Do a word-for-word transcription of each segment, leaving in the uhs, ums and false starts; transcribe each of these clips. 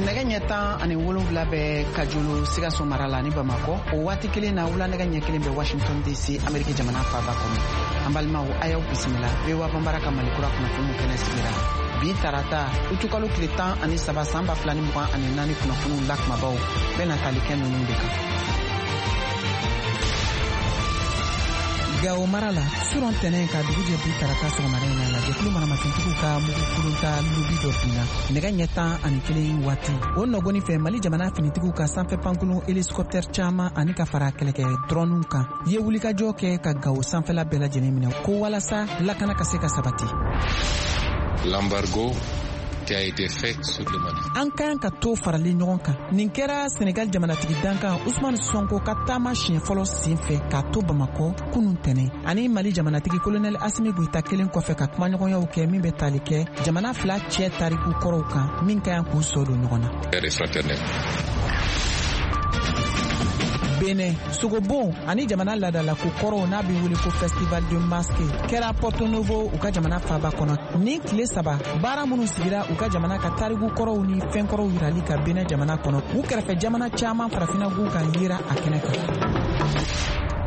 Nɛgɛ ɲɛ tan ani wolonwula bɛ Kajolo, Sikaso mara la ni Bamakɔ. O waati kelen na, wula nɛgɛ ɲɛ kelen bɛ Washington D C, Ameriki jamana faaba kɔnɔ. An balimaw, a y'aw bisimila V O A Banbara ka Malikura kunnafoniw kɛnɛ sigira bi tarata, utukalo tile tan ani saba, san ba fila ni mugan ani naani. Kunnafoniw la kumabaw bɛna tali kɛ ninnu de kan. Gawo mara la, surɔ tɛnɛn ka dugu jɛ bi tarata sɔgɔmada in na la, jɛkulu maramafɛntigiw ka mugu kulonta lobi dɔ binna nɛgɛ ɲɛ tan ani kelen waati. O nɔgɔni fɛ, Mali jamana finitigiw ka sanfɛ pankurun hélicoptère caman ani ka fara kɛlɛkɛ drɔniw kan ye wulikajɔ kɛ ka Gawo sanfɛla bɛɛ lajɛlen minɛ, ko walasa lakana ka se ka sabati. L'embargo qui a été fait sur le Mali. An kan ka to farali ɲɔgɔn kan. Nin kɛra Senegal jamanatigi dankan Usman Sonko ka taama siɲɛ fɔlɔ sen fɛ k'a to Bamakɔ kunun tɛnɛ, ani Mali jamanatigi Kolonɛli Asimi Goyita kelen kɔfɛ ka kumaɲɔgɔnyaw kɛ min bɛ tali kɛ jamana fila cɛ tariku kɔrɔw kan, min ka ɲi k'u sɔ don ɲɔgɔn na. Et fraternel. Benin, sogobon ani jamana ladalako kɔrɔw n'a bɛ wele ko Festival de Masque kɛra Porto Novo, u ka jamana faaba kɔnɔ. Nin tile saba baara minnu sigira u ka jamana ka tariku kɔrɔw ni fɛn kɔrɔw yirali ka Benin jamana kɔnɔ, u kɛrɛfɛ jamana caman farafinagun kan yera a kɛnɛ kan.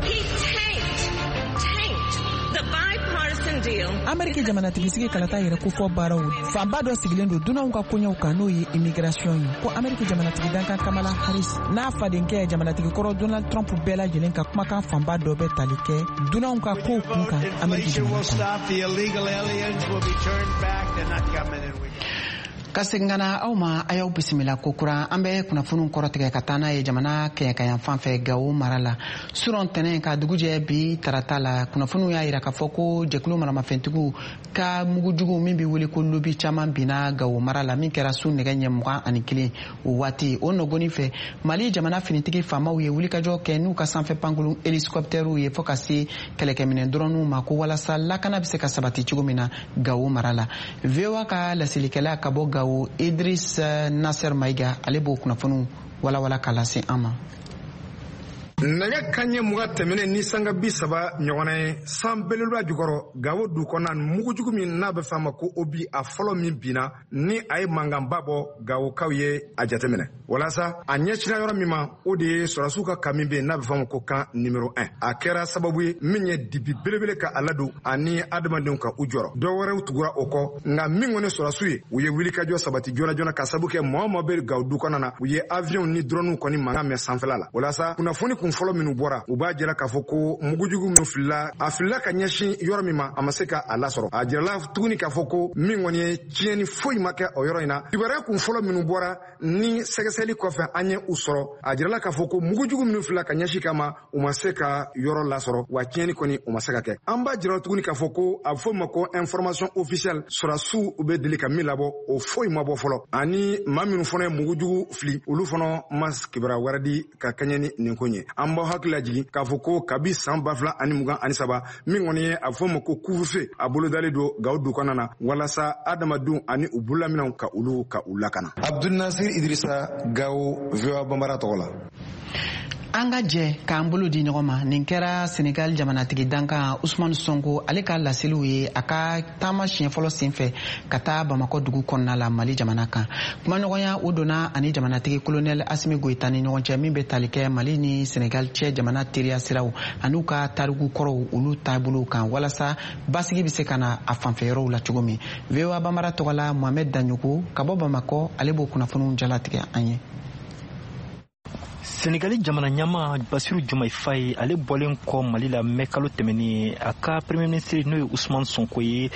He tanked, tanked the bipartisan deal. Ameriki jamanatigisigi kalata yɛrɛ kofɔ baaraw fanba dɔ sigilen don dunanw ka koɲɛw kan, n'o ye immigration ye, ko Ameriki jamanatigi dankan Kamala Harris n'a fadenkɛ jamanatigi kɔrɔ Donald Trump bɛɛ lajɛlen ka kumakan fanba dɔ bɛ tali kɛ dunanw ka kow kun kan Ameriki jamana kɔnɔ. The illegal aliens will be turned back. They're not coming in. We Ka segin ka na aw ma, a y'aw bisimila kokura. An bɛ kunnafoniw kɔrɔtigɛ ka taa n'a ye jamana kɛɲɛkayan fan fɛ, Gawo mara la. Surɔ tɛnɛn ka dugujɛ bi tarata la, kunnafoniw y'a yira k'a fɔ ko jɛkulu maramafɛntigiw ka mugujugu min bɛ wele ko lobi caman binna Gawo mara la, min kɛra su nɛgɛ ɲɛ mugan ani kelen o waati. O nɔgɔni fɛ, Mali jamana finitigi faamaw ye wulikajɔ kɛ n'u ka sanfɛ pankurun hélicoptɛriw ye, fɔɔ ka se kɛlɛkɛminɛ dɔrɔnw ma, ko walasa lakana bɛ se ka sabati cogo min na Gawo mara la. V O A ka laselikɛla ka bɔ Gawo, Idris Nasser Maiga, ale b'o kunnafoniw walawala k'a lase an ma. Nɛgɛ kanɲɛ mugan tɛmɛnen ni sanga bi saba ɲɔgɔnna ye, san belebeleba jukɔrɔ, Gawo du kɔnɔna, mugujugu min n'a bɛ f'a ma ko obus, a fɔlɔ min binna ni a ye mankanba bɔ, Gawokaw ye a jateminɛ. Walasa a ɲɛsira yɔrɔ min ma, o de ye sɔrɔdasiw ka camp min bɛ yen n'a bɛ f'a ma ko camp numéro un. A kɛra sababu ye min ye dibi belebele ka a ladon ani adamadenw ka u jɔrɔ. Dɔw wɛrɛw tugura o kɔ, nka min kɔni sɔrɔdasiw ye, u ye wulikajɔ sabati joona joona ka sababu kɛ maa o maa bɛ Gawo du kɔnɔna na, u ye avion ni drone kɔni mankan mɛn sanfɛla la. Walasa kunnafoni kun fɔlɔ minnu bɔra, u b'a jira k'a fɔ ko mugujugu minnu filila, a filila ka ɲɛsin yɔrɔ min ma, a ma se ka a lasɔrɔ. A jirala tuguni k'a fɔ ko min kɔni ye tiɲɛni foyi ma kɛ o yɔrɔ in na. Kibaruya kun fɔlɔ minnu bɔra ni sɛgɛsɛgɛli kɔfɛ an ye u sɔrɔ, a jirala k'a fɔ ko mugujugu minnu filila ka ɲɛsin kama, u ma se ka yɔrɔ lasɔrɔ, wa tiɲɛni kɔni u ma se ka kɛ. An b'a jira tuguni k'a fɔ ko a bɛ fɔ ma ko information officielle, sɔrɔdasiw bɛ deli ka min labɔ, o foyi ma bɔ fɔlɔ, ani maa minnu fana ye mugujugu fili, olu fana ma kibaruya wɛrɛ di ka kɛɲɛ ni nin ko ye. An b'aw hakili lajigin k'a fɔ ko kabi san ba fila ani mugan ani saba, min kɔni ye a bɛ fɔ ma ko couvre-feu, a bolodalen don Gawo du kɔnɔna na walasa adamadenw ani u bololaminɛw ka olu ka u lakana. Abdul Nasir Idrissa, Gawo, V O A Banbara tɔgɔ la. An ka jɛ k'an bolo di ɲɔgɔn ma. Nin kɛra Senegal jamanatigi dankan Usman Sonko, ale ka laseliw ye a ka taama siɲɛ fɔlɔ senfɛ ka taa Bamakɔ dugu kɔnɔna la, Mali jamana kan. Kumaɲɔgɔnya o donna ani jamanatigi Kolonɛli Asimi Goyita ni ɲɔgɔn cɛ, min bɛ tali kɛ Mali ni Senegal cɛ jamana teriya siraw an'u ka tariku kɔrɔw, olu taabolow kan, walasa basigi bɛ se ka na a fanfɛ yɔrɔw la cogo min. V O A Banbara tɔgɔ la, Mohamɛd Daɲogo ka bɔ Bamakɔ, ale b'o kunnafoniw jalatigɛ an ye. Senegali jamana ɲama Basiru Jɔmayi Faye, ale bɔlen kɔ Mali la mɛ kalo tɛmɛnen, a ka premier ministre n'o ye Usman Sonko ye,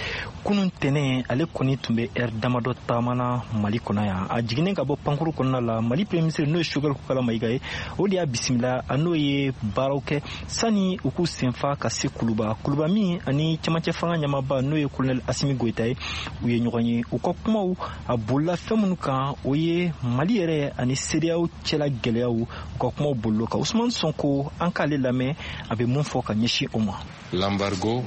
kunun tɛnɛ ale kɔni tun bɛ ɛri damadɔ taamana Mali kɔnɔ yan. A jiginnen ka bɔ pankuru kɔnɔna la, Mali premier ministre n'o ye Sogɛl Kokala Mayiga ye, o de y'a bisimila. A n'o ye baaraw kɛ sani u k'u senfa ka se Kuluba. Kuluba min ani cɛmancɛ fanga ɲamaba n'o ye Colonel Asimi Goyita ye, u ye ɲɔgɔn ye. U ka kumaw a bolila fɛn minnu kan, o ye Mali yɛrɛ ani CEDEAO cɛla gɛlɛyaw. U ka kumaw bolilo kan, Usman Sonko, an k'ale lamɛn, a bɛ mun fɔ ka ɲɛsin o ma. L'embargo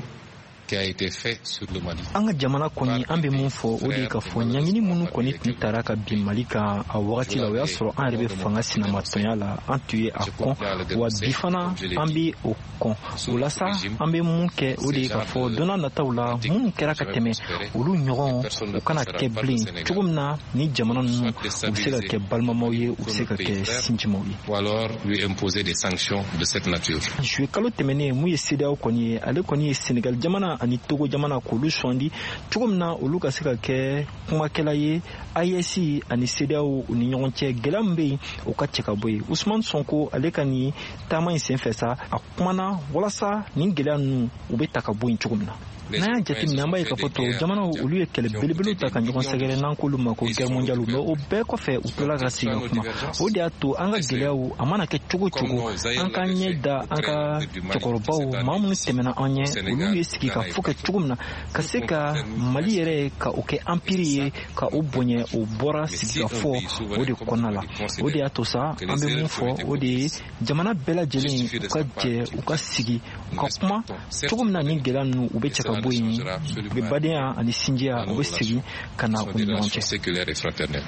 qui a été fait sur le Mali. An ka jamana kɔni, an bɛ mun fɔ, o de ye k'a fɔ ɲangini minnu kɔni tun tara ka bin Mali kan a wagati la, o y'a sɔrɔ an yɛrɛ bɛ fanga sinamatɔnya la, an tun ye a kɔn, wa bi fana an bɛ o kɔn. O la sa, an bɛ mun kɛ, o de ye k'a fɔ don n'a nataw la, minnu kɛra ka tɛmɛ, olu ɲɔgɔn u kana kɛ bilen, cogo min na ni jamana ninnu u bɛ se ka kɛ balimamaw ye, u bɛ se ka kɛ sinjimaw ye. Ou alors lui imposer des sanctions de cette nature. Juillet kalo tɛmɛnen, mun ye CEDEAO kɔni ye, ale kɔni ye Senegal jamana ani Togo jamana k'olu sɔndi cogo min na olu ka se ka kɛ kumakɛla ye A E S ani CEDEAO u ni ɲɔgɔn cɛ. Gɛlɛya min bɛ yen, o ka cɛ ka bɔ yen. Usumani Sonko, ale ka nin taama in senfɛ sa, a kumana walasa nin gɛlɛya ninnu u bɛ ta ka bɔ yen cogo min na. N'an y'a jateminɛ, an b'a ye k'a fɔ tubabu jamanaw, olu ye kɛlɛ belebelew ta ka ɲɔgɔn sɛgɛrɛ, n'an k'olu ma ko guerre mondiale, mais o bɛɛ kɔfɛ u tilala ka segin ka kuma. O de y'a to an ka gɛlɛyaw, a mana kɛ cogo cogo, an k'an ɲɛ da an ka cɛkɔrɔbaw, maa minnu tɛmɛna an ɲɛ, olu ye sigi ka fɔ kɛ cogo min na ka se ka Mali yɛrɛ ka o kɛ empire ye, ka o bonya, o bɔra sigikafɔ o de kɔnɔna la. O de y'a to sa, an bɛ mun fɔ, o de ye jamana bɛɛ lajɛlen u ka jɛ, u ka sigi, u ka kuma cogo min na ni gɛlɛya ninnu u bɛ cɛ ka bɔ yen, u bɛ badenya ani sinjiya, u bɛ segin ka na u ni ɲɔgɔn cɛ.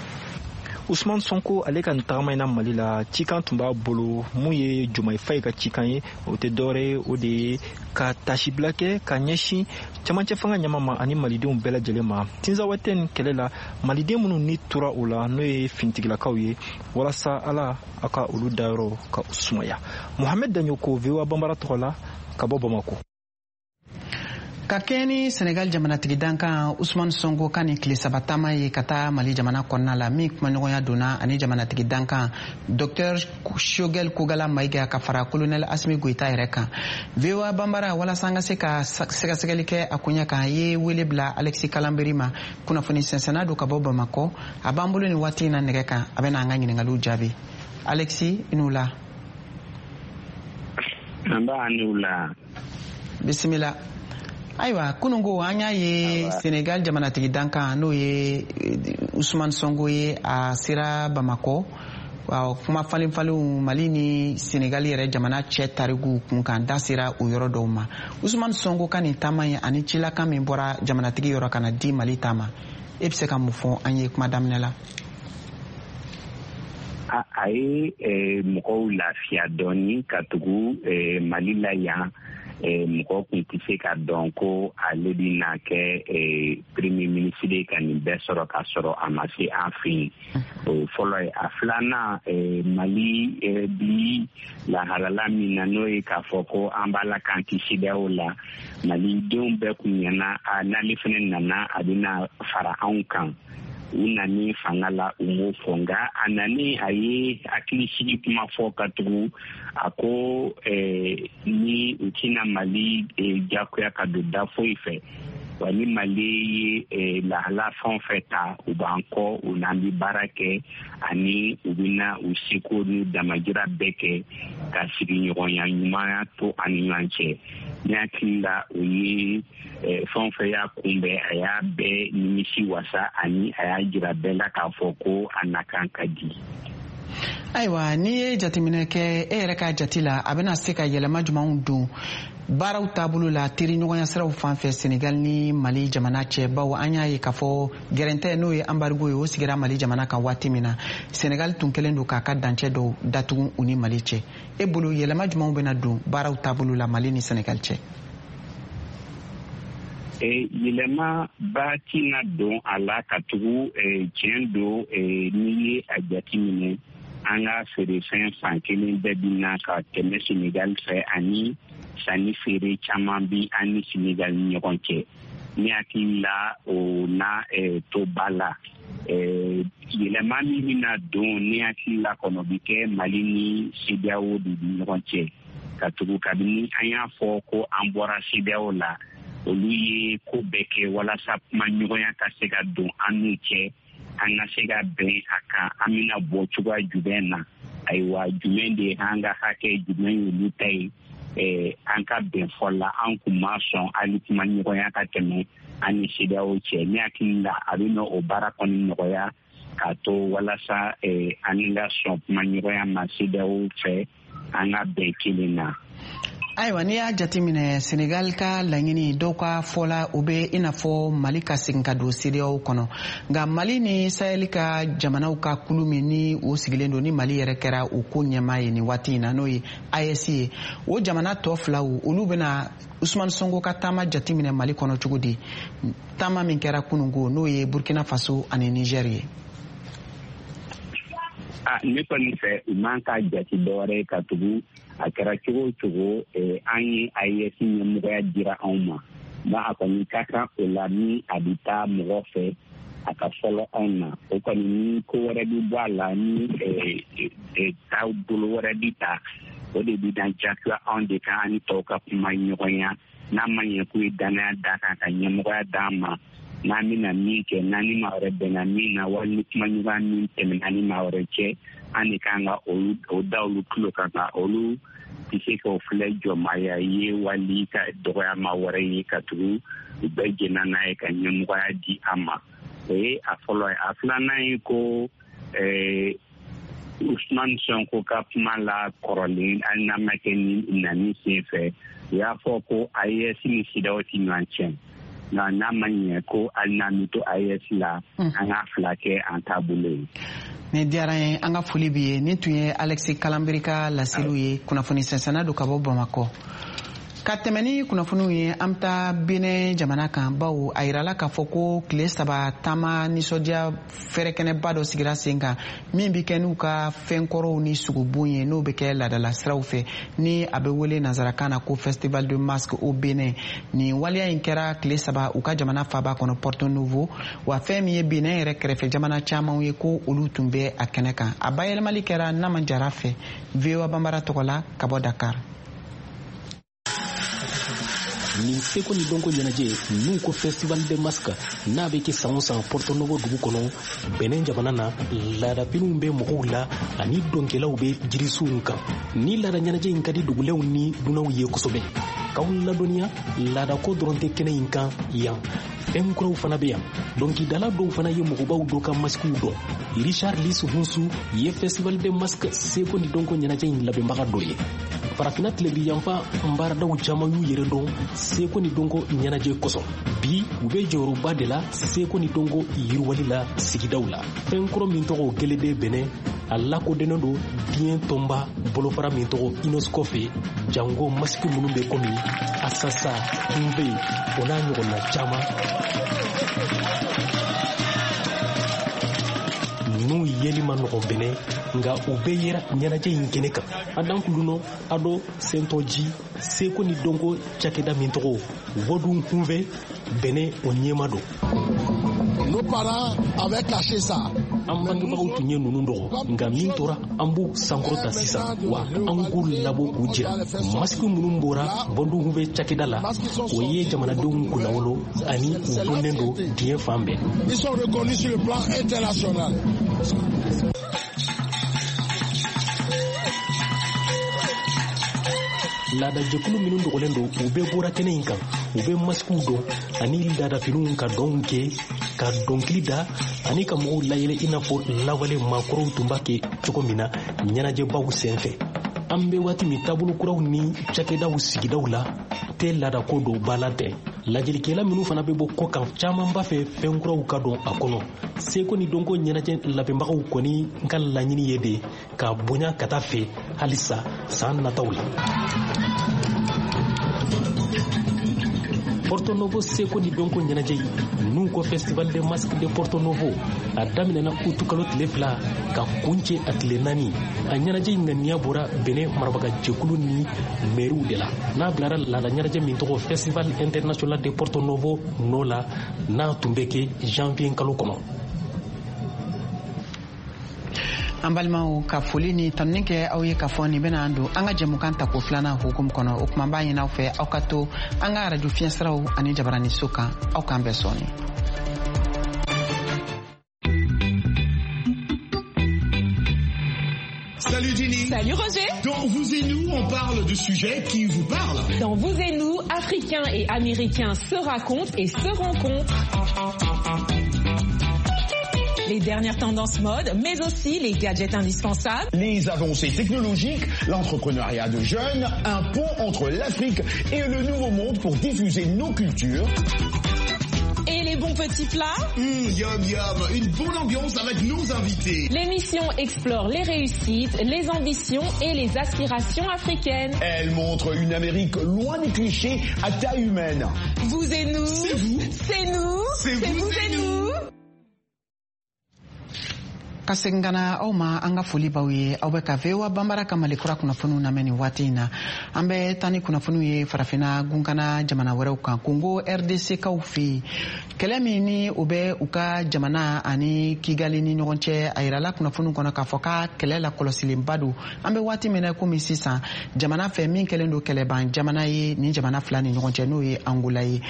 Usman Sonko, ale ka nin tagama in na Mali la, cikan tun b'a bolo. Mun ye Jomayi Fayi ka cikan ye? O tɛ dɔwɛrɛ ye, o de ye ka tasibila kɛ ka ɲɛsin camancɛ fanga ɲama ma ani malidenw bɛɛ lajɛlen ma Tinzawatɛn kɛlɛ la, maliden minnu ni tora o la, n'o ye finitigilakaw ye, walasa Ala a ka olu dayɔrɔ ka u sumaya. Mohamed Daɲoko, V O A Banbara tɔgɔ la, ka bɔ Bamako. Ka kɛɲɛ ni Senegal jamanatigi dankan Usman Sonko ka nin tile saba taama ye ka taa Mali jamana kɔnɔna la, min kumaɲɔgɔnya donna ani jamanatigi dankan Docteur Choguel Kokalla Maïga ka fara Colonel Assimi Goïta yɛrɛ kan, V O A Banbara, walasa an ka se ka sɛgɛsɛgɛli kɛ a koɲɛ kan, ye wele bila Alexis Kalanberi ma, kunnafoni sɛnsɛnna don ka bɔ Bamakɔ. A b'an bolo nin waati in na nɛgɛ kan, a bɛna an ka ɲiningaliw jaabi. Alexis, i n'u la. An b'a ni la. Bisimila. Ayiwa, kununko an y'a ye Senegal jamanatigi dankan, n'o ye Usman Sonko ye, a sera Bamakɔ. Kuma falen falenw Mali ni Senegal yɛrɛ jamana cɛ tarikuw kun kan, da sera o yɔrɔ dɔw ma. Usman Sonko ka nin taama ye ani cilakan min bɔra jamanatigi yɔrɔ ka na di Mali ta ma, e bɛ se ka mun fɔ an ye kuma daminɛ la? A ye mɔgɔw lafiya dɔɔni, ka tugu Mali la yan, mɔgɔ kun tɛ se ka dɔn ko ale bɛna kɛ premier ministre ye ka nin bɛɛ sɔrɔ ka sɔrɔ a ma se an fɛ yen. O fɔlɔ ye. A filanan, Mali bi lahalala min na, n'o ye k'a fɔ ko an b'a la k'an ti CEDEAO la, malidenw bɛɛ kun ɲɛna n'ale fana nana, a bɛna fara anw kan. U nani fanga la, u m'o fɔ, nka a nani, a ye hakilisigi kuma fɔ, ka tugu a ko ni u tɛna Mali jagoya ka don da foyi fɛ, wa ni Mali ye lahala fɛn o fɛn ta, u b'an kɔ, u n'an bɛ baara kɛ, ani u bɛna u seko n'u damajira bɛɛ kɛ ka sigiɲɔgɔnya ɲumanya to an ni ɲɔgɔn cɛ. Ne hakili la, o ye fɛn o fɛn y'a kunbɛn, a y'a bɛɛ nimisi wasa, ani a y'a jira bɛɛ la k'a fɔ ko a nakan ka di. Ayiwa, n'i ye jateminɛ kɛ, e yɛrɛ ka jate la, a bɛna se ka yɛlɛma jumɛnw don baaraw taabolo la teriɲɔgɔnya siraw fan fɛ Senegal ni Mali jamana cɛ? Bawo an y'a ye k'a fɔ gɛrɛntɛ, n'o ye embargo ye, o sigira Mali jamana kan waati min na, Senegal tun kɛlen don k'a ka dancɛ dɔw datugu u ni Mali cɛ. E bolo, yɛlɛma jumɛnw bɛna don baaraw taabolo la Mali ni Senegal cɛ? Yɛlɛma ba tɛna don a la, ka tugu tiɲɛ don, n'i ye a jateminɛ, an ka feerefɛn fan kelen bɛɛ bɛ na ka tɛmɛ Senegal fɛ, ani sanni feere caman bi an ni Senegal ni ɲɔgɔn cɛ. Ne hakili la, o na to ba la. Yɛlɛma min bɛna don, ne hakili la kɔnɔ, bi kɛ Mali ni CEDEAO de ni ɲɔgɔn cɛ, ka tugu kabini an y'a fɔ ko an bɔra CEDEAO la, olu ye ko bɛɛ kɛ walasa kuma ɲɔgɔnya ka se ka don an n'u cɛ, an ka se ka bɛn a kan, an bɛna bɔ cogoya jumɛn na, ayiwa, jumɛn de ye an ka hakɛ, jumɛn y'olu ta ye, an ka bɛn fɔ la. An kun ma sɔn hali kuma ɲɔgɔnya ka tɛmɛ an ni CEDEAO cɛ. Ne hakili la, a bɛ na o baara kɔni nɔgɔya k'a to walasa an ka sɔn kuma ɲɔgɔnya ma CEDEAO fɛ, an ka bɛn kelen na. Ayiwa, n'i y'a jateminɛ, Senegal ka laɲini, dɔw ka fɔla, o bɛ i n'a fɔ Mali ka segin ka don CEDEAO kɔnɔ. Nka Mali ni Sahel ka jamanaw ka kulu min ni o sigilen don, ni Mali yɛrɛ kɛra o ko ɲɛmaa ye nin waati in na, n'o ye A E S ye, o jamana tɔ filaw, olu bɛna Usumani Sonko ka taama jateminɛ Mali kɔnɔ cogo di, taama min kɛra kununko, n'o ye Burkina Faso ani Niger ye? A ne kɔni fɛ, u man ka jate dɔwɛrɛ ye, ka tugu a kɛra cogo o cogo, an ye A E S ɲɛmɔgɔya dira anw ma. Ba a kɔni ka kan o la, ni a bɛ taa mɔgɔ fɛ, a ka fɔlɔ anw na. O kɔni, ni ko wɛrɛ bɛ bɔ a la, ni taabolo wɛrɛ bɛ ta, o de bɛ dan jagoya anw de kan, an ni tɔw ka kuma ɲɔgɔnya. N'a ma ɲɛ k'u ye danaya d'a kan ka ɲɛmɔgɔya d'an ma, n'an bɛna min kɛ, n'an ni maa wɛrɛ bɛnna min na, wali ni kumaɲɔgɔnya min tɛmɛna ni maa wɛrɛ cɛ, an de kan ka olu o da olu tulo kan, ka olu tɛ se k'o filɛ jɔnmaya ye wali ka dɔgɔyama wɛrɛ ye, ka tugu u bɛɛ jɛnna n'a ye ka ɲɛmɔgɔya di an ma. O ye a fɔlɔ ye. A filanan ye ko ɛɛ Usumani Sonko ka kuma la kɔrɔlen, hali n'a ma kɛ ni nani sen fɛ, u y'a fɔ ko A E S ni CEDEAO ti ɲɔgɔn tiɲɛ, nka n'a ma ɲɛ ko hali n'an bɛ to A E S la, an k'a fila kɛ an taabolo ye. Nin diyara n ye, an ka foli b'i ye. Nin tun ye Alexis Kalanbiri ka laseliw ye, kunnafoni sɛnsɛnna don ka bɔ Bamakɔ. Ka tɛmɛ ni kunnafoniw ye, an bɛ taa Benin jamana kan, bawo a yirala k'a fɔ ko tile saba taama nisɔndiya fɛrɛkɛnɛba dɔ sigira sen kan, min bɛ kɛ n'u ka fɛnkɔrɔw ni sugubon ye, n'o bɛ kɛ laadala siraw fɛ, ni a bɛ wele nanzarakan na ko Festival de Masque au Benin. Nin waleya in kɛra tile saba u ka jamana faaba kɔnɔ, Porto Novo. Wa fɛn min ye Benin yɛrɛ kɛrɛfɛ jamana camanw ye, ko olu tun bɛ a kɛnɛ kan. A bayɛlɛmali kɛra Nama Jara fɛ, V O A Banbara tɔgɔ la, ka bɔ Dakar. Nin seko ni dɔnko ɲɛnajɛ n'u ko Festival de Masque, n'a bɛ kɛ san o san Porto Novo dugu kɔnɔ, Benin jamana na, laadafiniw bɛ mɔgɔw la ani dɔnkɛlaw bɛ jirisuw kan. Ni laada ɲɛnajɛ in ka di dugulenw ni dunanw ye kosɛbɛ. K'aw ladɔnniya, laadako dɔrɔn tɛ kɛnɛ in kan yan, fɛn kuraw fana bɛ yan. Dɔnkilidala dɔw fana ye mɔgɔbaw dɔ ka masikiw dɔn. Richard Lis Hunsu ye Festival de Masque seko ni dɔnko ɲɛnajɛ in labɛnbaga dɔ ye. Farafina tilebi yanfan baaradaw caman y'u yɛrɛ dɔn seko ni dɔnko ɲɛnajɛ kosɔn. Bi, u bɛ jɔyɔrɔba de la seko ni dɔnko yiriwali la sigidaw la. Fɛn kɔrɔ min tɔgɔ Gelede Bɛnɛ, a lakodɔnnen don diɲɛ tɔnba bolofara min tɔgɔ UNESCO fɛ, jango masiki minnu bɛ komi asasa, kunbe, o n'a ɲɔgɔnna caman. Ninnu yeli ma nɔgɔn Bɛnɛ, nka u bɛɛ yera ɲɛnajɛ in kɛnɛ kan. Adan kulunɔ ado sentɔji, seko ni dɔnko cakɛda min tɔgɔ Vodun Hunve Bɛnɛ, o ɲɛma don. Nos parents avaient caché ça. An bangebagaw tun ye ninnu dɔgɔ, nka min tora, an b'u sankɔrɔta sisan, wa an k'u labɔ k'u jira. Masiki minnu bɔra Vodun Hunve cakɛda la, o ye jamanadenw kunnawolo ani u dɔnnen don diɲɛ fan bɛɛ. Ils sont reconnus sur le plan international. Laadajɛkulu minnu dogolen don, u bɛɛ bɔra kɛnɛ in kan. U bɛ masikiw dɔn ani laadafiniw, ka dɔnw kɛ, ka dɔnkili da ani ka mɔgɔw layɛlɛ, i n'a fɔ lawale maakɔrɔw tun b'a kɛ cogo min na ɲɛnajɛbaw sen fɛ. An bɛ waati min, taabolo kuraw ni cakɛdaw sigidaw la tɛ laadako dɔw ba la tɛ. Lajɛlikɛla minnu fana bɛ bɔ kɔkan, caman b'a fɛ fɛn kuraw ka dɔn a kɔnɔ. Seko ni dɔnko ɲɛnajɛ labɛnbagaw kɔni ka laɲini ye de ka bonya ka taa fɛ halisa san nataw la. Porto Novo seko ni dɔnko ɲɛnajɛ n'u ko Festival de Masque de Porto Novo, a daminɛna utukalo tile fila ka kuncɛ a tile naani. A ɲɛnajɛ in ŋaniya bɔra Benin marabaga jɛkulu ni mɛriw de la, n'a bilara laada ɲɛnajɛ min tɔgɔ Festival International de Porto Novo nɔ la, n'a tun bɛ kɛ janvier kalo kɔnɔ. An balimaw, ka foli ni tanuni kɛ aw ye k'a fɔ nin bɛna an don an ka jɛmukan tako filanan hukumu kɔnɔ. O kuma, b'a ɲini aw fɛ, aw ka to an ka arajo fiɲɛsiraw ani jabaraniso kan. Aw k'an bɛn sɔɔni. Salut Ginny. Salut Roger. Dans Vous et nous, on parle de sujets qui vous parlent. Dans Vous et nous, Africains et Américains se racontent et se rencontrent. Les dernières tendances mode, mais aussi les gadgets indispensables. Les avancées technologiques, l'entrepreneuriat de jeunes, un pont entre l'Afrique et le Nouveau Monde pour diffuser nos cultures. Et les bons petits plats. Mmh, yum yum, une bonne ambiance avec nos invités. L'émission explore les réussites, les ambitions et les aspirations africaines. Elle montre une Amérique loin des clichés à taille humaine. Vous et nous. C'est vous. C'est nous. C'est vous, vous et nous. Ka segin ka na aw ma, an ka foli b'aw ye. Aw bɛ ka V O A Banbara ka Mali kura kunnafoniw lamɛn nin waati in na. An bɛ taa ni kunnafoniw ye Farafinna gunkana jamana wɛrɛw kan. Kongo R D C kaw fɛ yen, kɛlɛ min ni o bɛ u ka jamana ani Kigali ni ɲɔgɔn cɛ, a yirala kunnafoniw kɔnɔ k'a fɔ k'a kɛlɛ lakɔlɔsilenba don. An bɛ waati min na komi sisan, jamana fɛ min kɛlen don kɛlɛban jamana ye nin jamana fila ni ɲɔgɔn cɛ, n'o ye Angola ye.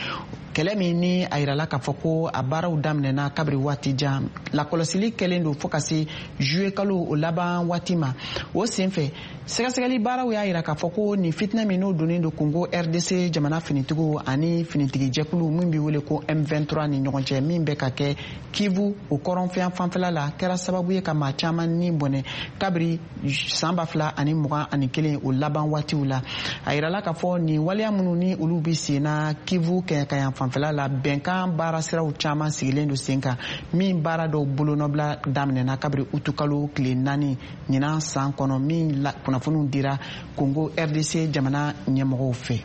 Kɛlɛ min ni a yirala k'a fɔ ko a baaraw daminɛna kabiri waati jan, lakɔlɔsili kɛlen don fo ka se juillet kalo o laban waati ma. O senfɛ, sɛgɛsɛgɛli baaraw y'a yira k'a fɔ ko nin fitinɛ min n'o donnen don Congo R D C jamana finitigiw ani finitigijɛkulu min bɛ wele ko M vingt-trois ni ɲɔgɔn cɛ, min bɛ ka kɛ Kivu o kɔrɔnfɛn fanfɛla la, kɛra sababu ye ka maa caman ni bɔnɛ kabiri san ba fila ani mugan ani kelen o laban waatiw la. A yirala k'a fɔ nin waleya minnu ni olu bɛ sen na Kivu kɛɲɛkayan fanfɛla la, bɛnkan baara siraw caman sigilen don sen kan, min baara dɔw bolonɔbila daminɛna kabiri utukalo tile naani ɲinan san kɔnɔ, min kunnafoniw dira Congo R D C jamana ɲɛmɔgɔw fɛ.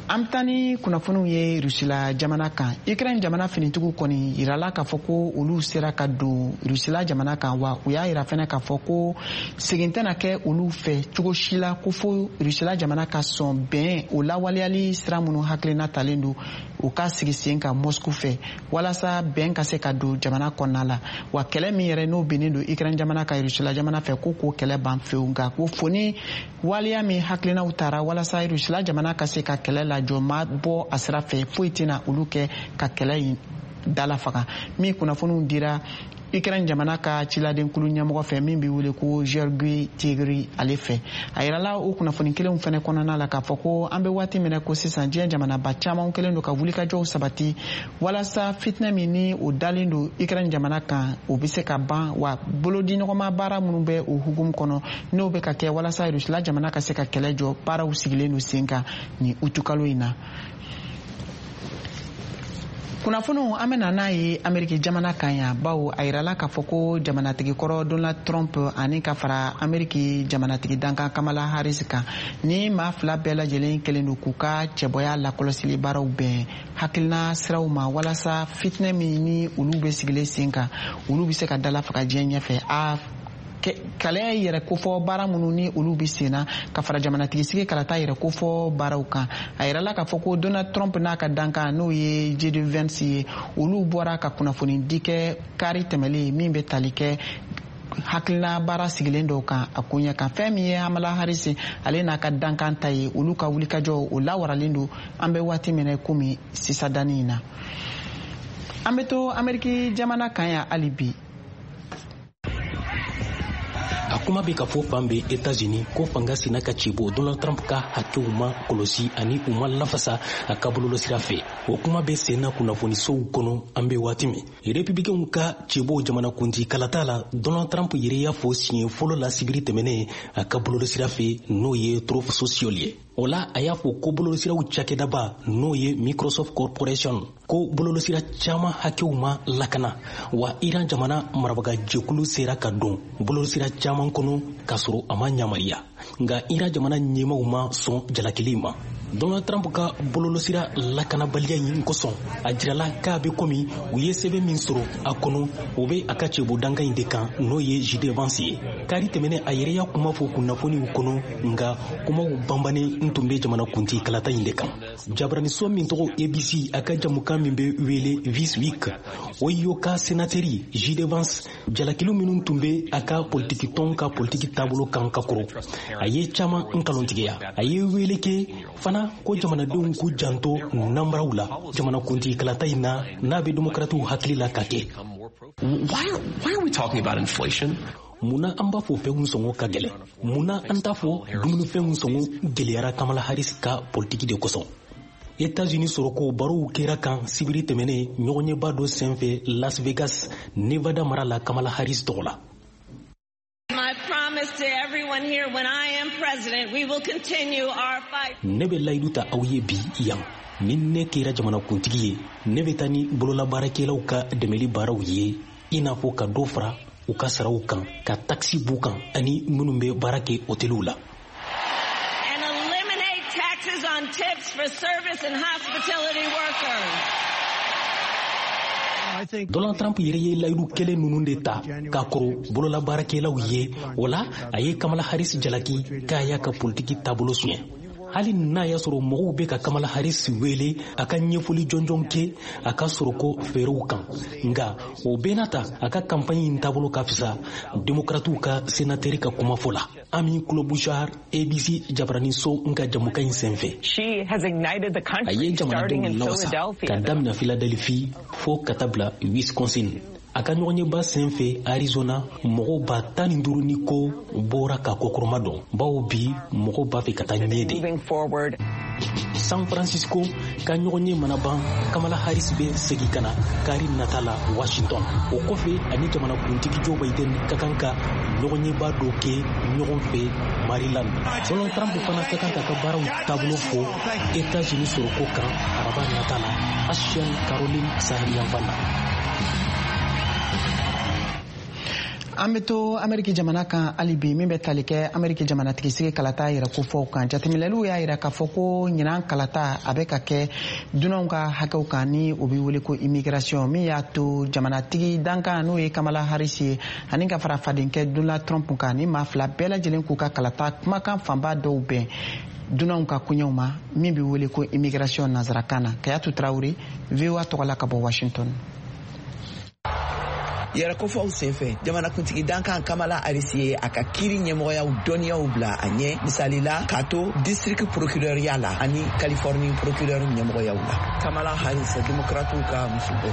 An bɛ taa ni kunnafoniw ye Rusila jamana kan. Ukraine jamana finitigiw kɔni yirala k'a fɔ ko olu sera ka don Rusila jamana kan, wa u y'a yira fɛnɛ k'a fɔ ko segin tɛna kɛ olu fɛ cogo si la, ko fo Rusila jamana ka sɔn bɛn o lawaleyali sira minnu hakilina talen don u ka sigi sen kan Moscou fɛ, walasa bɛn ka se ka don jamana kɔnɔna la. Wa kɛlɛ min yɛrɛ n'o binnen don Ukraine jamana ka Rusila jamana fɛ, ko k'o kɛlɛ ban fewu, nka ko fo ni waleya min hakilinaw tara walasa Rusila jamana ka se ka kɛlɛ lajɔ ma bɔ a sira fɛ, foyi tɛna olu kɛ ka kɛlɛ in dala faga. Min kunnafoniw dira Ukraine jamana ka ciladenkulu ɲɛmɔgɔ fɛ, min bɛ wele ko Georgi Tigri, ale fɛ, a yirala o kunnafoni kelenw fɛnɛ kɔnɔna la k'a fɔ ko an bɛ waati min na ko sisan, diɲɛ jamanaba caman kɛlen don ka wulikajɔw sabati walasa fitinɛ min ni o dalen don Ukraine jamana kan, o bɛ se ka ban. Wa bolodiɲɔgɔnma baara minnu bɛ o hukumu kɔnɔ, n'o bɛ ka kɛ walasa Rusila jamana ka se ka kɛlɛ jɔ, baaraw sigilen don sen kan nin utukalo in na. Kunnafoniw, an bɛna n'a ye Ameriki jamana kan yan, bawo a yirala k'a fɔ ko jamanatigi kɔrɔ Donald Trump ani ka fara Ameriki jamanatigi dankan Kamala Harris kan, ni maa fila bɛɛ lajɛlen kɛlen don k'u ka cɛbɔya lakɔlɔsili baaraw bɛn hakilina siraw ma, walasa fitinɛ min ni olu bɛ sigilen sen kan, olu bɛ se ka dala faga diɲɛ ɲɛfɛ. A kɛlɛ yɛrɛ kofɔ baara minnu ni olu bɛ sen na ka fara jamanatigi sigi kalata yɛrɛ kofɔ baaraw kan, a yirala k'a fɔ ko Donald Trump n'a ka dankan, n'o ye J D Vance ye, olu bɔra ka kunnafoni di kɛ kari tɛmɛlen, min bɛ tali kɛ hakilina baara sigilen dɔw kan a koɲɛ kan. Fɛn min ye Kamala Harris ale n'a ka dankan ta ye, olu ka wulikajɔ o lawaralen don an bɛ waati min na komi sisan danni in na. An bɛ to Ameriki jamana kan yan hali bi. A kuma bɛ ka fɔ fan bɛɛ Etats-Unis ko fanga sina ka cɛbɔ Donald Trump ka hakɛw ma kɔlɔsi ani u ma lafasa a ka bɔlɔlɔsira fɛ. O kuma bɛ sen na kunnafonisow kɔnɔ an bɛ waati min. Républicainw ka cɛbɔ jamanakuntigi kalata la, Donald Trump yɛrɛ y'a fɔ siɲɛ fɔlɔ la sibiri tɛmɛnen a ka bɔlɔlɔsira fɛ, n'o ye Truth Social ye. O la, a y'a fɔ ko bɔlɔlɔsiraw cakɛdaba, n'o ye Microsoft Corporation, ko bɔlɔlɔsira caman hakɛw ma lakana, wa Iran jamana marabaga jɛkulu sera ka don bɔlɔlɔsira caman kɔnɔ k'a sɔrɔ a ma yamaruya. Nka Iran jamana ɲɛmaw ma sɔn jalakili ma. Donald Trump ka bɔlɔlɔsira lakanabaliya in kosɔn, a jirala k'a bɛ komi u ye sɛbɛn min sɔrɔ a kɔnɔ, o bɛ a ka cɛbɔ dankan in de kan, n'o ye J D Vance ye. Kari tɛmɛnen, a yɛrɛ y'a kuma fɔ kunnafoniw kɔnɔ, nka kumaw banbannen n tun bɛ jamanakuntigi kalata in de kan. Jabaraniso min tɔgɔ A B C, a ka jamukan min bɛ wele This Week, o y'o ka senatɛri J D Vance jalakiliw minnu tun bɛ a ka politiki tɔn ka politiki taabolo kan ka kɔrɔ, a ye caman nkalontigiya. A ye wele kɛ fana ko jamanadenw k'u janto nanbaraw la jamanakuntigi kalata in na, n'a bɛ demokaratiw hakili la ka kɛ. Why, why are we talking about inflation? Munna an b'a fɔ fɛnw sɔngɔ ka gɛlɛn? Munna an t'a fɔ dumunifɛnw sɔngɔ gɛlɛyara Kamala Harris ka politiki de kosɔn? États-Unis sɔrɔko barow kɛra kan sibiri tɛmɛnen ɲɔgɔnyeba dɔ senfɛ Las Vegas, Nevada mara la, Kamala Harris tɔgɔ la. My promise to everyone here, when I am president, we will continue our fight. Ne bɛ layidu ta aw ye bi yan, ni ne kɛra jamanakuntigi ye, ne bɛ taa ni bololabaarakɛlaw ka dɛmɛli baaraw ye, i n'a fɔ ka dɔ fara u ka saraw kan, ka takisi b'u kan, ani minnu bɛ baara kɛ hôteliw la. And eliminate taxes on tips for service and hospitality workers. Donald Trump yɛrɛ ye layidu kelen ninnu de ta k'a kɔrɔ bololabaarakɛlaw ye. O la, a ye Kamala Harris jalaki k'a y'a ka politiki taabolo suɲɛ. Hali n'a y'a sɔrɔ mɔgɔw bɛ ka Kamala Harris wele a ka ɲɛfɔli jɔnjɔn kɛ a ka sɔrɔko fɛɛrɛw kan, nka o bɛɛ n'a ta, a ka kanpaɲi in taabolo ka fisa demokratiw ka senatɛri ka kumafɔ la. Amy Klobuchar, A B C jabaraniso n ka jamukan in senfɛ, a ye jamanadenw lawasa ka daminɛ Philadelphie fo ka taa bila Wisconsin. A ka ɲɔgɔnyeba sen fɛ Arizona, mɔgɔw ba tan ni duuru ni ko bɔra ka kɔkɔrɔma dɔn, bawo bi mɔgɔw b'a fɛ ka taa ɲɛ de. San Francisco ka ɲɔgɔnye mana ban, Kamala Harris bɛ segin ka na kari nata la Washington. O kɔfɛ, ani jamanakuntigi Joe Biden ka kan ka ɲɔgɔnyeba dɔ kɛ ɲɔgɔn fɛ Maryland. Donald Trump fana ka kan k'a ka baaraw taabolo fɔ États-Unis sɔrɔko kan araba nata la Ashland, Caroline saheliyanfan na. An bɛ to Ameriki jamana kan hali bi. Min bɛ tali kɛ Ameriki jamanatigisigi kalata yɛrɛ kofɔw kan, jateminɛliw y'a yira k'a fɔ ko ɲinan kalata a bɛ ka kɛ dunanw ka hakɛw kan, ni o bɛ wele ko immigration, min y'a to jamanatigi dankan, n'o ye Kamala Harris ye, ani ka fara fadenkɛ Donald Trump kan, ni maa fila bɛɛ lajɛlen k'u ka kalata kumakan fanba dɔw bɛn dunanw ka koɲɛw ma, min bɛ wele ko immigration nanzarakan na. Kayatu Tarawele, V O A tɔgɔ la ka bɔ Washington. Yɛrɛkofɔw senfɛ, jamanakuntigi dankan Kamala Harris ye a ka kiiri ɲɛmɔgɔyaw dɔnniyaw bila a ɲɛ, misali la k'a to district procureurya la ani Californie procureur ɲɛmɔgɔyaw la. Kamala Harris, demokratiw ka musobɔ.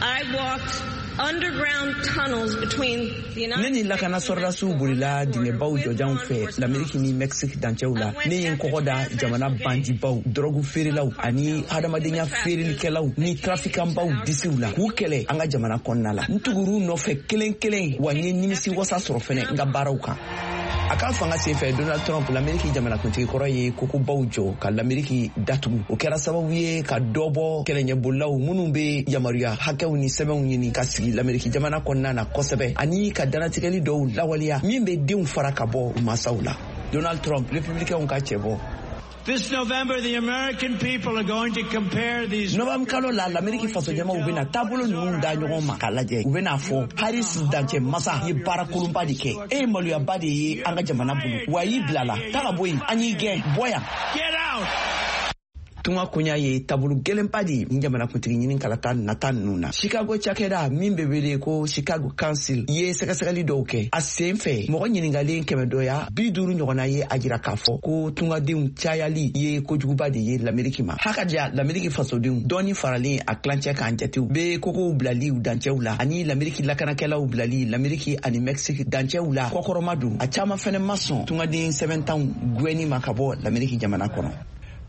I walked underground tunnels between the Ne ni lakana sɔrɔdasiw bolila dingɛbaw jɔjanw fɛ Lameriki ni Mexique dancɛw la. Ne ye n kɔgɔ da jamana bandibaw, dɔrɔgu feerelaw ani hadamadenya feerelikɛlaw ni trafikanbaw disiw la k'u kɛlɛ an ka jamana kɔnɔna la. N tugur'u nɔfɛ kelen kelen, wa n ye nimisi wasa sɔrɔ fɛnɛ n ka baaraw kan. A ka fanga senfɛ, Donald Trump, Lameriki jamanakuntigi kɔrɔ, ye kokobaw jɔ ka Lameriki datugu. O kɛra sababu ye ka dɔ bɔ kɛlɛɲɛbolilaw minnu be yamaruya hakɛw ni sɛbɛnw ɲini ka sigi Lameriki jamana kɔnɔna na kosɛbɛ, ani ka danatigɛli dɔw lawaleya min be denw fara ka bɔ u masaw la. Donald Trump, républicainw ka cɛbɔ. This November, the American people are going to compare these. Novembre kalo la, Lameriki fasojamaw bena taabolo ninnu da ɲɔgɔn ma k'a lajɛ. U bena fɔ Harris dancɛ masa ye baara kolonba de kɛ, e ye maloyaba de ye an ka jamana bolo, wa y'i bilala ta ka bɔ yen, an y'i gɛn, bɔ yan. Get out! Tunga koɲa ye taabolo gɛlɛnba de ye ni jamanakuntigi ɲini kalata nata ninnu na. Chicago cakɛda min bɛ wele ko Chicago Council ye sɛgɛsɛgɛli dɔw kɛ. A sen fɛ, mɔgɔ ɲiningalen kɛmɛ dɔya bi duuru ɲɔgɔnna ye a jira k'a fɔ ko tungadenw cayali ye kojuguba de ye Lameriki ma. Hakaja Lameriki fasodenw dɔɔni faralen a tilancɛ kan jatew be kogow bilali u dancɛw la ani Lameriki lakanakɛlaw bilali Lameriki ani Mexique dancɛw la kɔkɔrɔma don. A caaman fɛnɛ ma sɔn tungaden sɛbɛntanw gwɛnni ma ka bɔ Lameriki jamana kɔnɔ.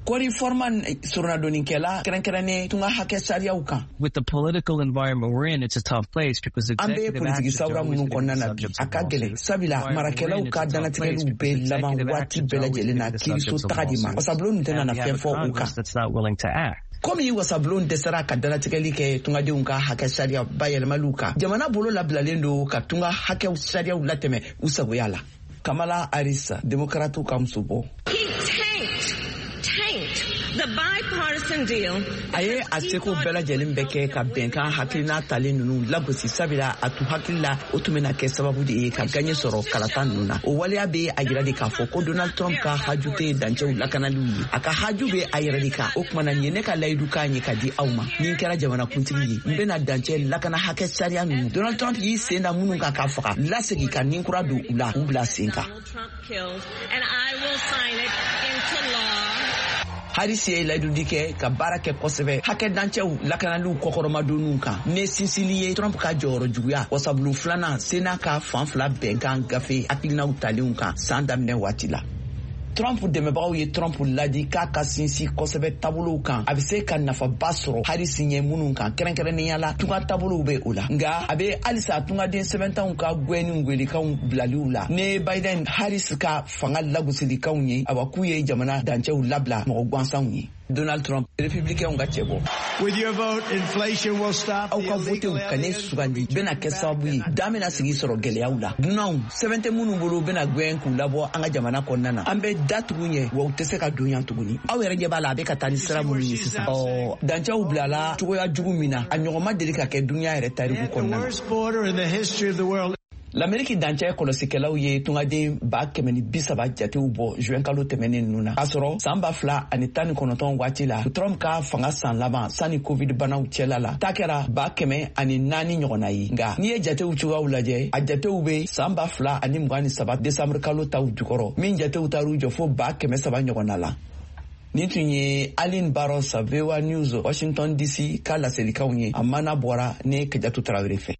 Korey Foreman, soronadonnikɛla kɛrɛnkɛrɛnnen tunga hakɛ sariyaw kan. With the political environment we're in, it's a tough place because An bɛ politiki sawura minnu kɔnɔna na bi, a ka gɛlɛn, sabula marakɛlaw ka dantigɛliw bɛ laban waati bɛɛ lajɛlen na kiiriso taga de ma. Wasabulon nin tɛna na fɛn fɔ u kan. That's not willing to act. Komi wasabulon dɛsɛra ka danatigɛli kɛ tungadenw ka hakɛ sariya bayɛlɛmaliw kan, jamana bolo labilalen don ka tunga hakɛw sariyaw latɛmɛ u sagoya la. Kamala Harris, demokratiw ka musobɔ. He tanked, tanked the bipartisan deal. A ye a seko bɛɛ lajɛlen bɛ kɛ ka bɛnkan hakilina talen ninnu lagosi, sabula a tun hakili la o tun bɛna kɛ sababu de ye ka gaɲɛ sɔrɔ kalata ninnu na. O waleya bɛ a jira de k'a fɔ ko Donald Trump ka haju tɛ dancɛw lakanaliw ye, a ka haju bɛ a yɛrɛ de kan. O kumana, nin ye ne ka layidu kan ye ka di aw ma: ni n kɛra jamanakuntigi ye, n bɛna dancɛ lakana hakɛ sariya ninnu, Donald Trump y'i sen da minnu kan k'a faga, lasegin ka nin kura don u la k'u bila sen kan. Donald Trump killed, and I will sign it into law. Harris ye layidudi kɛ ka baara kɛ kosɛbɛ hakɛ dancɛw lakanaliw kɔkɔrɔmadonniw kan, ne sinsili ye Trump ka jɔyɔrɔ juguya wasabulon filanan Sena ka fan fila bɛnkan gafe hakilinaw talenw kan san daminɛ waati la. Trump dɛmɛbagaw ye Trump ladi k'a ka sinsin kosɛbɛ taabolow kan, a bɛ se ka nafaba sɔrɔ Harris ɲɛ minnu kan, kɛrɛnkɛrɛnnenya la tunga taabolow bɛ o la. Nka a bɛ halisa tungaden sɛbɛntanw ka gɛnni gwelikanw bilaliw la ne Biden Harris ka fanga lagosilikanw ye, awa k'u ye jamana dancɛw labila mɔgɔ gansanw ye. Donald Trump, républicain ka cɛ bɔ. With your vote, inflation will stop. Aw ka votew ka ne sugandi bɛna kɛ sababu ye dan bɛna sigi sɔrɔ gɛlɛyaw la. Dunanw sɛbɛn tɛ minnu bolo bɛna gɛn k'u labɔ an ka jamana kɔnɔna na. An bɛ da tugu ɲɛ wa u tɛ se ka don yan tuguni. Aw yɛrɛ ɲɛ b'a la a bɛ ka taa ni sira minnu ye sisan. Ɔ dancɛw bilala cogoya jugu min na, a ɲɔgɔn ma deli ka kɛ dunuya yɛrɛ tariku kɔnɔna na. L'Amérique dancɛ kɔlɔsikɛlaw ye tungaden ba kɛmɛ ni bi saba jatew bɔ juin kalo tɛmɛnen ninnu na, k'a sɔrɔ san ba fila ani tan ni kɔnɔntɔn waati la, Trump ka fanga san laban sanni covid banaw cɛla la, ta kɛra ba kɛmɛ ani naani ɲɔgɔnna ye. Nka n'i ye jatew cogoyaw lajɛ, a jatew bɛ san ba fila ani mugan ni saba décembre kalo taw jukɔrɔ, min jatew taar'u jɔ fo ba kɛmɛ saba ɲɔgɔnna la. Nin tun ye Aline Barros, V O A News, Washington D C ka laselikanw ye. A mana bɔra ne Kajatu Tarawele fɛ.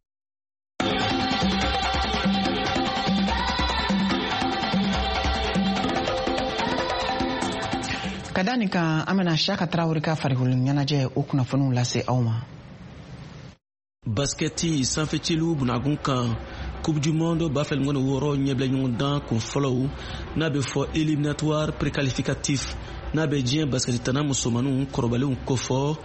Ka da nin kan, an bɛna Siyaka Tarawele ka farikolo ɲɛnajɛ o kunnafoniw lase aw ma. Baskɛti sanfɛciliw bunagun kan, Coupe du monde ba fila mugan ni wɔɔrɔ ɲɛbila ɲɔgɔndan kun fɔlɔw n'a bɛ fɔ éliminatoire préqualificatif n'a bɛ diɲɛ baskɛti tana musomaninw kɔrɔbalenw kofɔ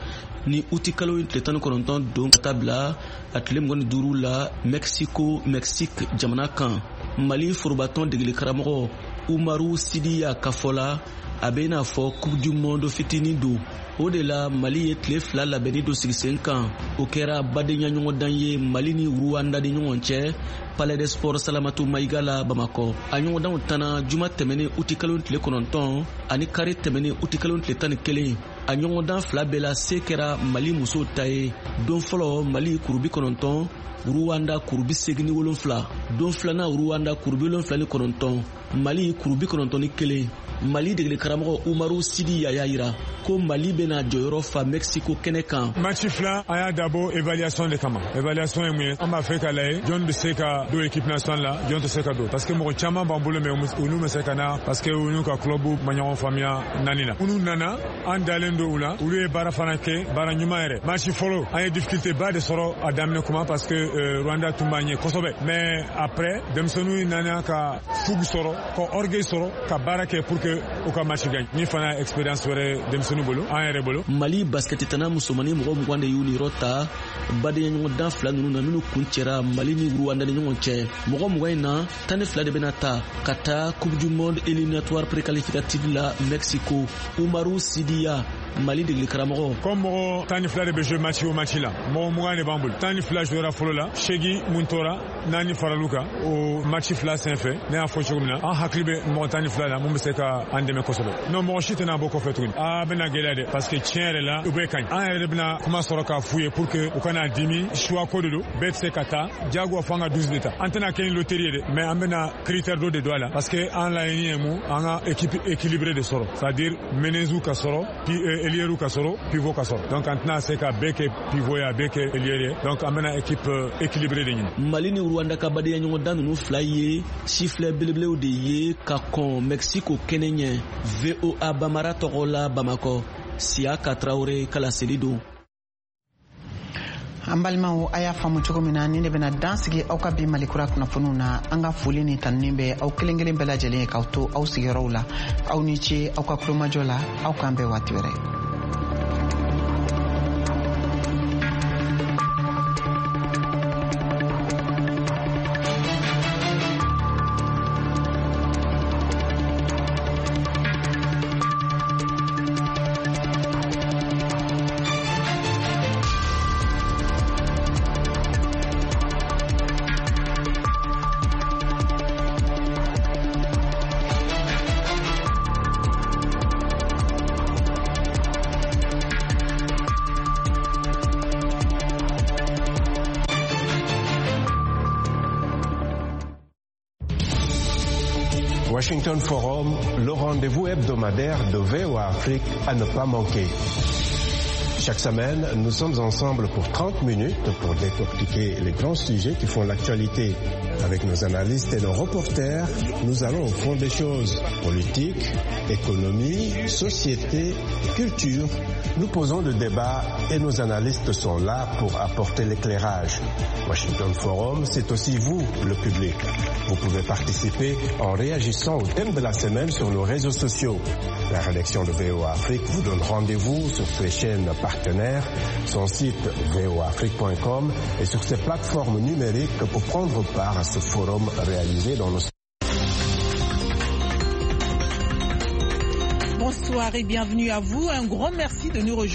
ni uti kalo in tile tan ni kɔnɔntɔn don ka taa bila a tile mugan ni duuru la Mexico Mexique jamana kan. Mali forobatɔn degeli karamɔgɔ Umaru Sidiya ka fɔ la, a bɛ i n'a fɔ Coupe du monde fitinin don. O de la Mali ye tile fila labɛnni dɔ sigi sen kan. O kɛra badenya ɲɔgɔndan ye Mali ni Rwanda ni ɲɔgɔn cɛ Palais des Sports Salamatu Mayiga la Bamakɔ. A ɲɔgɔndanw tana juma tɛmɛnen uti kalo tile kɔnɔntɔn ani kari tɛmɛnen uti kalo tile tan ni kelen. A ɲɔgɔndan fila bɛɛ la se kɛra Mali musow ta ye. Don fɔlɔ Mali kuru bi kɔnɔntɔn, Rwanda kuru bi seegin ni wolonfila. Don filanan Rwanda kuru bi wolonfila ni kɔnɔntɔn, Mali kuru bi kɔnɔntɔn ni kelen. Mali degeli karamɔgɔ Umaru Sidi y'a yira ko Mali bɛna jɔyɔrɔ fa Mexico kɛnɛ kan. Match fila an y'a dabɔ évaluation de kama. Évaluation ye mun ye? An b'a fɛ ka lajɛ jɔn bɛ se ka don équipe nationale la, jɔn tɛ se ka don. Parce que mɔgɔ caman b'an bolo mais olu ma se ka na parce que u n'u ka club ma ɲɔgɔn faamuya naani na. Minnu nana an dalen don u la, olu ye baara fana kɛ, baara ɲuman yɛrɛ. Match fɔlɔ an ye difficulté ba de sɔrɔ a daminɛ kuma parce que euh, Rwanda tun b'an ɲɛ kosɛbɛ. Mais après denmisɛnninw nana ka fougue sɔrɔ, ka orgueil sɔrɔ, ka baara kɛ pour que u ka match gagne. Ni fana expérience wɛrɛ denmisɛnninw bolo, an yɛrɛ bolo. Mali basket tana musomanin mɔgɔ mugan de y'u niyɔrɔ ta badenya ɲɔgɔndan fila ninnu na minnu kun cɛra Mali ni Rwanda ni ɲɔgɔn cɛ. Mɔgɔ mugan in na, tan ni fila de bɛna ta ka taa Coupe du monde éliminatoire préqualificative la Mexico. Umaru Sidiya, Mali degeli karamɔgɔ. Comme mɔgɔ tan ni fila de bɛ jouer match o match la, mɔgɔ mugan de b'an bolo. Tan ni fila jouera fɔlɔ la, seegin mun tora, naani faral'u kan. O match fila senfɛ, ne y'a fɔ cogo min na, an hakili bɛ mɔgɔ tan ni fila la mun bɛ se ka an dɛmɛ kosɛbɛ. Non, mɔgɔ si tɛna bɔ kɔfɛ tuguni. A bɛna gɛlɛya dɛ parce que tiɲɛ yɛrɛ la u bɛɛ ka ɲi. An yɛrɛ de bɛna kuma sɔrɔ k'a f'u ye pour que u kana dimi. Choix ko de don, bɛɛ tɛ se ka taa. Diyagoya fo an ka douze de ta. An tɛna kɛ ni loterie ye dɛ, mais an bɛna critère dɔ de don a la parce que an laɲini ye mun, an ka équipe équilibrée de sɔrɔ, c'est à dire menezu ka sɔrɔ, puis ailier ka sɔrɔ, pivot ka sɔrɔ. Donc an tɛna se ka bɛɛ kɛ pivot ye, a bɛɛ kɛ ailier ye. Donc an bɛna équipe équilibrée de ɲini. Mali ni Rwanda ka badenya ɲɔgɔndan ninnu fila ye sifilɛ belebelew de ye ka kɔn Mexico kɛnɛ ɲɛ. V O A Bamara tɔgɔ la Bamakɔ, Siyaka Tarawele ka laseli don. An balimaw, a y'a faamu cogo min na, nin de bɛna dan sigi aw ka bi Malikura kunnafoniw na. An ka foli ni tanuni bɛ aw kelen kelen bɛɛ lajɛlen ye k'aw to aw sigiyɔrɔw la. Aw ni ce aw ka kulomajɔ la, aw k'an bɛn waati wɛrɛ. Washington Forum, le rendez-vous hebdomadaire de V O A Afrique à ne pas manquer. Chaque semaine, nous sommes ensemble pour trente minutes pour décortiquer les grands sujets qui font l'actualité. Avec nos analystes et nos reporters, nous allons au fond des choses. Politique, économie, société, culture. Nous posons le débat et nos analystes sont là pour apporter l'éclairage. Washington Forum, c'est aussi vous, le public. Vous pouvez participer en réagissant au thème de la semaine sur nos réseaux sociaux. La rédaction de V O A Afrique vous donne rendez-vous sur ses chaînes partenaires, son site v o a afrique point com et sur ses plateformes numériques pour prendre part à ce forum réalisé dans nos... Bonsoir et bienvenue à vous. Un grand merci de nous rejoindre.